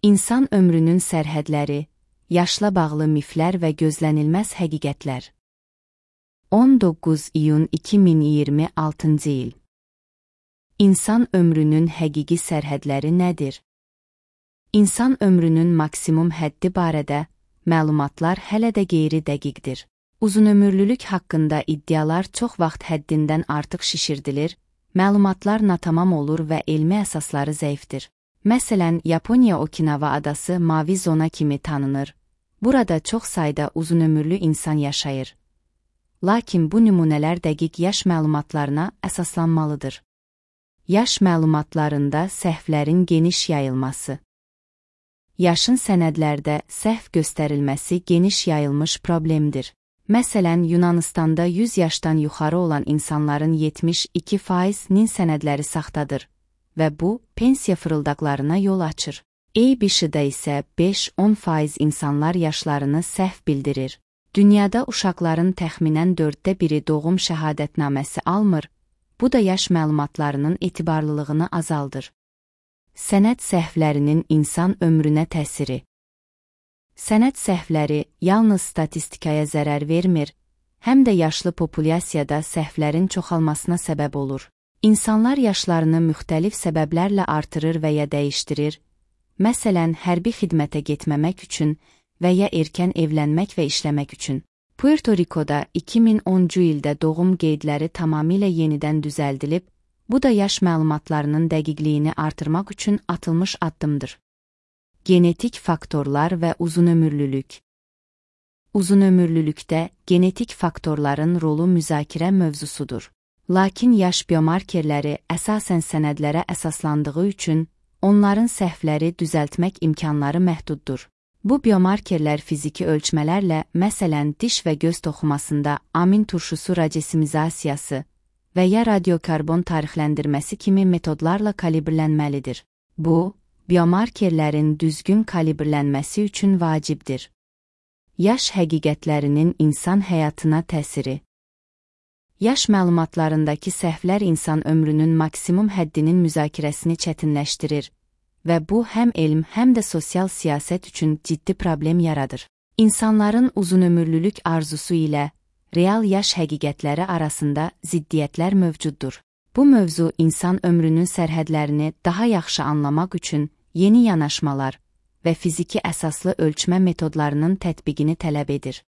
İnsan ömrünün sərhədləri, yaşla bağlı miflər və gözlənilməz həqiqətlər. 19 iyun 2026 il. İnsan ömrünün həqiqi sərhədləri nədir? İnsan ömrünün maksimum həddi barədə məlumatlar hələ də qeyri-dəqiqdir. Uzunömürlülük haqqında iddialar çox vaxt həddindən artıq şişirdilir, məlumatlar natamam olur və elmi əsasları zəifdir. Məsələn, Yaponiya Okinawa adası mavi zona kimi tanınır. Burada çox sayda uzunömürlü insan yaşayır. Lakin bu nümunələr dəqiq yaş məlumatlarına əsaslanmalıdır. Yaş məlumatlarında səhvlərin geniş yayılması. Yaşın sənədlərdə səhv göstərilməsi geniş yayılmış problemdir. Məsələn, Yunanıstanda 100 yaşdan yuxarı olan insanların 72%-nin sənədləri saxtadır və bu, pensiya fırıldaqlarına yol açır. ABC-də isə 5-10% insanlar yaşlarını səhv bildirir. Dünyada uşaqların təxminən 1/4 doğum şəhadətnaməsi almır, bu da yaş məlumatlarının etibarlılığını azaldır. Sənəd səhvlərinin insan ömrünə təsiri. Sənəd səhvləri yalnız statistikaya zərər vermir, həm də yaşlı populyasiyada səhvlərin çoxalmasına səbəb olur. İnsanlar yaşlarını müxtəlif səbəblərlə artırır və ya dəyişdirir, məsələn, hərbi xidmətə getməmək üçün və ya erkən evlənmək və işləmək üçün. Puerto Rico'da 2010-cu ildə doğum qeydləri tamamilə yenidən düzəldilib, bu da yaş məlumatlarının dəqiqliyini artırmaq üçün atılmış addımdır. Genetik faktorlar və uzunömürlülük. Uzunömürlülükdə genetik faktorların rolu müzakirə mövzusudur. Lakin yaş biomarkerləri əsasən sənədlərə əsaslandığı üçün onların səhvləri düzəltmək imkanları məhduddur. Bu biomarkerlər fiziki ölçmələrlə, məsələn, diş və göz toxumasında amin turşusu racesimizasiyası və ya radiokarbon tarixləndirməsi kimi metodlarla kalibrlənməlidir. Bu, biomarkerlərin düzgün kalibrlənməsi üçün vacibdir. Yaş həqiqətlərinin insan həyatına təsiri. Yaş məlumatlarındakı səhvlər insan ömrünün maksimum həddinin müzakirəsini çətinləşdirir və bu həm elm, həm də sosial siyasət üçün ciddi problem yaradır. İnsanların uzunömürlülük arzusu ilə real yaş həqiqətləri arasında ziddiyyətlər mövcuddur. Bu mövzu insan ömrünün sərhədlərini daha yaxşı anlamaq üçün yeni yanaşmalar və fiziki əsaslı ölçmə metodlarının tətbiqini tələb edir.